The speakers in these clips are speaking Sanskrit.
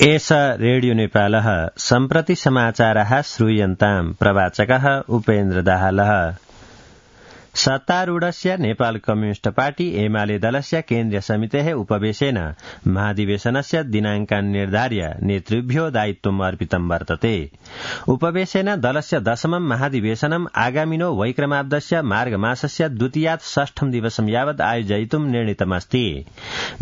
एष रेडियो नेपालः सम्प्रति समाचारः श्रूयन्ताम् प्रवाचकः उपेन्द्र दाहालः। सत्तारूढस्य नेपाल कम्युनिस्ट पार्टी एमाले दलस्य केन्द्रीय समितेः उपवेशेन महाधिवेशनस्य दिनाङ्कान् निर्धार्य नेतृभ्यो दायित्वम् अर्पितं वर्तते। उपवेशेन दलस्य 10मं महाधिवेशनम् आगामिनो वैक्रमाब्दस्य मार्गमासस्य द्वितीयात् 6ठं दिवसं यावत् आयोजयितुं निर्णीतमस्ति।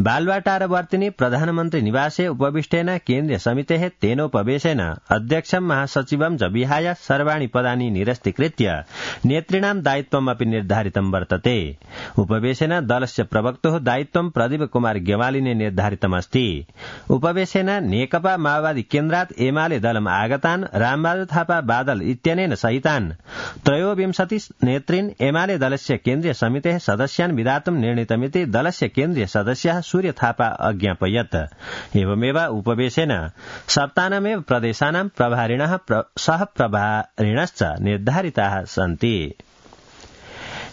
बालुवाटारवर्तिनि प्रधानमन्त्री निवासे उपविष्टेन केन्द्रीय समितेः तेनोपवेशेन अध्यक्षं महासचिवं च विहाय सर्वाणि पदानि निरस्तीकृत्य नेतॄणां दायित्वमपि निर्धारितं वर्तते। उपवेशेन दलस्य प्रवक्तुः दायित्वं प्रदीप कुमार गेवालीने निर्धारितमस्ति। उपवेशेन नेकपा माओवादी केन्द्रात् एमाले दलम् आगतान् रामबहादुर थापा बादल इत्यनेन सहितान् 23 नेतॄन् एमाले दलस्य केन्द्रीय समितेः सदस्यान् विधातुं निर्णीतमिति दलस्य केन्द्रीय सदस्यः सूर्य थापा अज्ञापयत्। एवमेव उपवेशेन सप्ताहमेव प्रदेशानां प्रभारिणः सह प्रभारिणश्च निर्धारिताः सन्ति।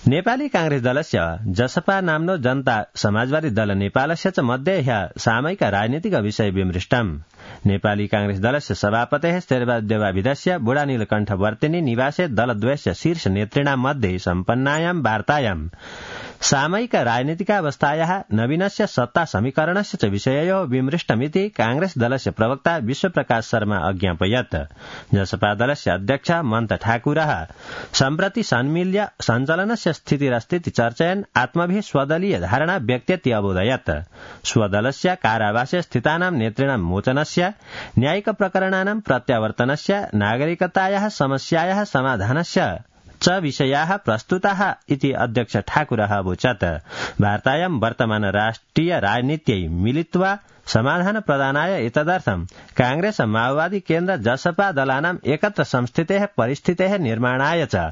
नेपाली कांग्रेस दलस्य जसपा नाम्नो जनता समाजवादी दल नेपालस्य च मध्ये ह्यः सामयिक राजनीतिक विषय विमृष्टम्। नेपाली कांग्रेस दलस्य सभापतेः शेरबहादुर बुढा नीलकण्ठ वर्तिनी निवासे दलद्वयस्य शीर्ष नेतॄणां मध्ये सम्पन्नायां वार्तायां सामयिक राजनीतिकावस्थायाः नवीनस्य सत्ता समीकरणस्य च विषययोः विमृष्टमिति कांग्रेस दलस्य प्रवक्ता विश्वप्रकाश शर्मा अज्ञापयत्। जसपा दलस्य अध्यक्ष मन्त ठाकुरः सम्प्रति सन्मील्य सञ्चालनस्य स्थितिरस्तीति चर्चयन् आत्मभिः स्वदलीय धारणा व्यक्तेति अबोधयत्। स्वदलस्य कारावासे स्थितानां नेतॄणां मोचनस्य, न्यायिक प्रकरणानां प्रत्यावर्तनस्य, नागरिकतायाः समस्यायाः समाधानस्य च विषयाः प्रस्तुताः इति अध्यक्ष ठाकुरः अवोचत्। वार्तायां वर्तमान राष्ट्रिय राजनीत्यै मिलित्वा समाधान प्रदानाय एतदर्थं कांग्रेस माओवादी केन्द्र जसपा दलानां एकत्र संस्थितेः परिस्थितेः निर्माणाय च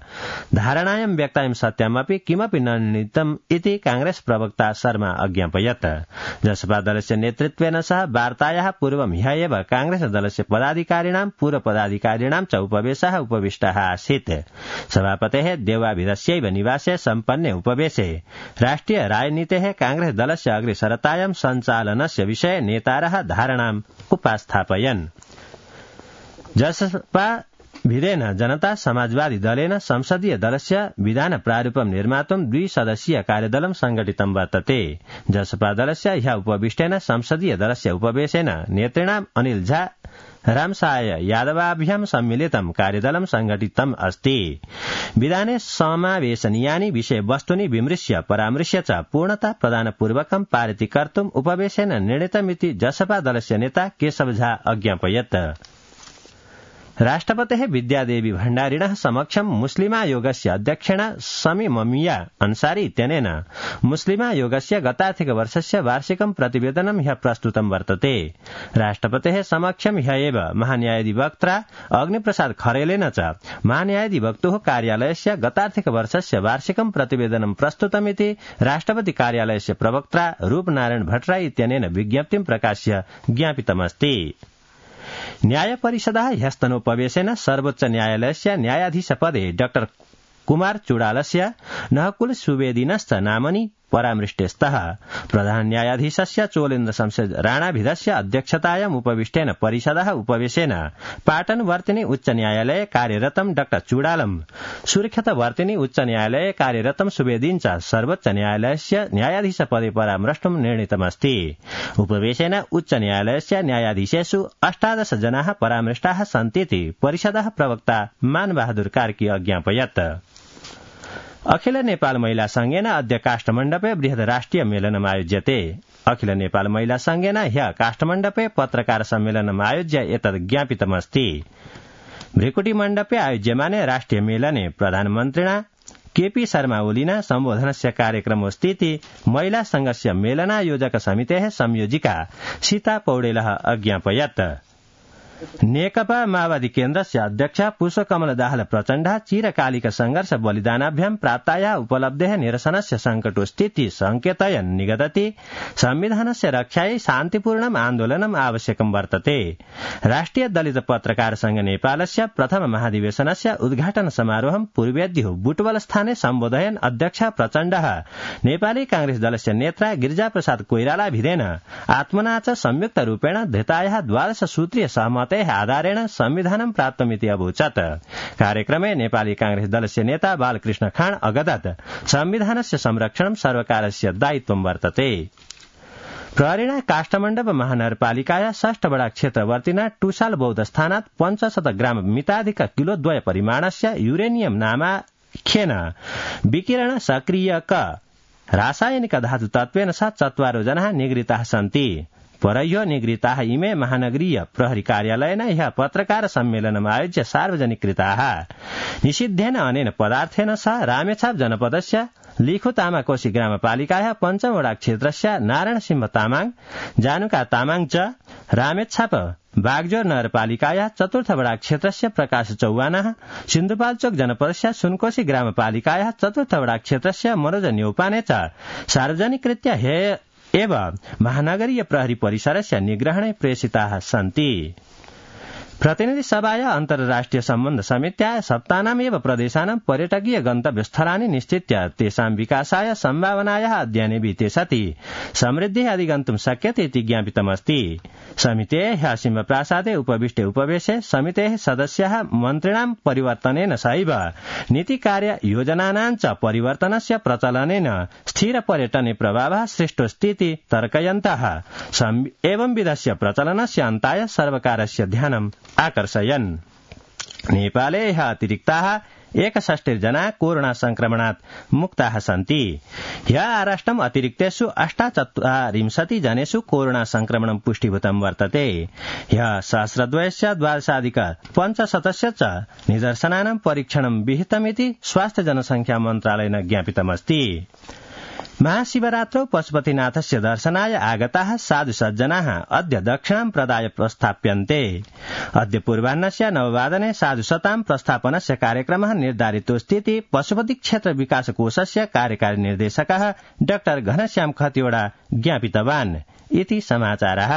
धारणायां व्यक्तायां सत्यामपि किमपि न निर्णीतम् इति कांग्रेस प्रवक्ता शर्मा अज्ञापयत्। जसपा दलस्य नेतृत्वेन सह वार्तायाः पूर्वं ह्यः एव कांग्रेस दलस्य पदाधिकारिणां पूर्वपदाधिकारिणां च उपवेशः उपविष्टः आसीत्। सभापतेः देवाभिधस्यैव निवासे सम्पन्ने उपवेशे राष्ट्रिय राजनीतेः कांग्रेस दलस्य अग्रेसरतायां सञ्चालनस्य विषये नेतारः धारणाम् उपास्थापयन्। जसपा भिदेन जनता समाजवादी दलेन संसदीय दलस्य विधान प्रारूपं निर्मातुं 2 सदस्यीय कार्यदलं संघटितं वर्तते। जसपा दलस्य ह्यः उपविष्टेन संसदीय दलस्य उपवेशेन नेतॄणाम् अनिल झा, रामसाय यादवाभ्यां सम्मिलितं कार्यदलं संघटितम् अस्ति। विधाने समावेशनीयानि विषयवस्तूनि विमृश्य परामृश्य च पूर्णता प्रदानपूर्वकं पारितीकर्तुम् उपवेशेन निर्णीतमिति जसपा दलस्य नेता केशव झा अज्ञापयत्। राष्ट्रपतेः विद्यादेवी भण्डारिणः समक्षं मुस्लिमायोगस्य अध्यक्षेण समी ममिया अन्सारी इत्यनेन मुस्लिमायोगस्य गतार्थिक वर्षस्य वार्षिकं प्रतिवेदनं ह्यः प्रस्तुतं वर्तते। राष्ट्रपतेः समक्षं ह्यः एव महान्यायाधिवक्ता अग्निप्रसाद खरेलेन च महान्यायाधिवक्तुः कार्यालयस्य गतार्थिक वर्षस्य वार्षिकं प्रतिवेदनं प्रस्तुतमिति राष्ट्रपति कार्यालयस्य प्रवक्ता रूपनारायण भट्टराई इत्यनेन विज्ञप्तिं प्रकाश्य ज्ञापितमस्ति। न्याय परिषदः ह्यस्तनोपवेशेन सर्वोच्च न्यायालयस्य न्यायाधीशपदे डॉ कुमार चुडालस्य नहकुल सुवेदिनश्च नामनि परामृष्टे स्तः। प्रधान न्यायाधीशस्य चोलेन्द्र शमशेर राणाभिधस्य अध्यक्षतायाम् उपविष्टेन परिषदः उपवेशेन पाटनवर्तिनि उच्च न्यायालये कार्यरतं डॉ चुडालम्, सुरक्षितवर्तिनि उच्च न्यायालये कार्यरतं सुवेदीन् च सर्वोच्च न्यायालयस्य न्यायाधीशपदे परामृष्टुं निर्णीतमस्ति। उपवेशेन उच्च न्यायालयस्य न्यायाधीशेषु 18 जनाः परामृष्टाः सन्तीति परिषदः प्रवक्ता मानबहादुर कार्की अज्ञापयत्। अखिल नेपाल महिला संघेन अद्य काष्ठमण्डपे बृहत् राष्ट्रिय मेलनम् आयोज्यते। अखिल नेपाल महिला संघेन ह्यः काष्ठमण्डपे पत्रकार सम्मेलनम् आयोज्य एतद् ज्ञापितमस्ति। भृकुटी मण्डपे आयोज्यमाने राष्ट्रिय मेलने प्रधानमन्त्रिणा केपी शर्मा ओलीना सम्बोधनस्य कार्यक्रमोऽस्तीति महिला संघस्य मेलनायोजक समितेः संयोजिका सीता पौडेलः अज्ञापयत्। नेकपा माओवादी केन्द्रस्य अध्यक्ष पुष्पकमल दाहाल प्रचण्ड चिरकालिक संघर्ष बलिदानाभ्यां प्राप्तायाः उपलब्धेः निरसनस्य संकटो स्थिति संकेतयन् निगदति संविधानस्य रक्षायै शान्तिपूर्णम् आन्दोलनम् आवश्यकं वर्तते। राष्ट्रिय दलित पत्रकार संघ नेपालस्य प्रथम महाधिवेशनस्य उद्घाटन समारोहं पूर्वेद्युः बुटवलस्थाने सम्बोधयन् अध्यक्ष प्रचण्डः नेपाली कांग्रेस दलस्य नेता गिरिजाप्रसाद कोइराला भिडेन आत्मना च संयुक्त रूपेण धृतायाः 12 सूत्रीय सहमतेः आधारेण संविधानं प्राप्तमिति अभूचत्। कार्यक्रमे नेपाली कांग्रेस दलस्य नेता बालकृष्ण खाँड अगदत् संविधानस्य संरक्षणं सर्वकारस्य दायित्वं वर्तते। प्रहरीणा काष्ठमण्डप महानगरपालिकाया 6 वडा क्षेत्रवर्तिना टुसाल बौद्ध स्थानात् 500 ग्राम मिताधिक किलो 2 परिमाणस्य युरेनियम नामाख्येन विकिरण सक्रियक रासायनिक धातु तत्त्वेन सह 4 जनाः निगृहीताः सन्ति। परह्यो निगृहीताः इमे महानगरीय प्रहरी कार्यालयेन ह्यः पत्रकार सम्मेलनम् आयोज्य सार्वजनिकृताः। निषिद्धेन अनेन पदार्थेन सह रामेछाप जनपदस्य लिखु तामाकोशी ग्रामपालिकायाः 5 वडा क्षेत्रस्य नारायण सिंह तामाङ, जानुका तामाङ च रामेछाप बागजोर नगरपालिकायाः 4 वडा क्षेत्रस्य प्रकाश चौवानाः, सिन्धुपाल्चोक जनपदस्य सुनकोशी ग्रामपालिकायाः 4 वडा क्षेत्रस्य मनोज न्यौपाने च सार्वजनिकृत्य एव महानगरीय प्रहरी परिसरस्य निग्रहणे प्रेषिताः सन्ति। प्रतिनिधि सभाया अन्तर्राष्ट्रिय सम्बन्ध समित्याः सप्तानामेव प्रदेशानां पर्यटकीय गन्तव्यस्थलानि निश्चित्य तेषां विकासाय सम्भावनायाः अध्ययने विते सति समृद्धिः अधिगन्तुं शक्यते इति ज्ञापितमस्ति। समितेः ह्यः सिंहप्रासादे उपविष्टे उपवेशे समितेः सदस्याः मन्त्रिणां परिवर्तनेन सहैव नीतिकार्य योजनानां च परिवर्तनस्य प्रचलनेन स्थिर पर्यटने प्रभावः सृष्टोस्तीति तर्कयन्तः एवंविधस्य प्रचलनस्य अन्ताय सर्वकारस्य ध्यानम् आकर्षयन्। नेपाले ह्यः अतिरिक्ताः 61 जना कोरोना संक्रमणात् मुक्ताः सन्ति। ह्यः आराष्ट्रम् अतिरिक्तेषु 48 जनेषु कोरोना संक्रमणं पुष्टिभूतं वर्तते। ह्यः सहस्रद्वयस्य 12,500 च निदर्शनानां परीक्षणं विहितमिति स्वास्थ्य जनसंख्या मन्त्रालयेन ज्ञापितमस्ति। महाशिवरात्रौ पशुपतिनाथस्य दर्शनाय आगताः साधु सज्जनाः अद्य दक्षिणां प्रदाय प्रस्थाप्यन्ते। अद्य पूर्वाह्नस्य 9 साधु शतां प्रस्थापनस्य कार्यक्रमः निर्धारितोऽस्तीति पशुपति क्षेत्र विकास कोषस्य कार्यकारी निर्देशकः डाक्टर घनश्याम खतिवड़ा ज्ञापितवान् इति समाचारः।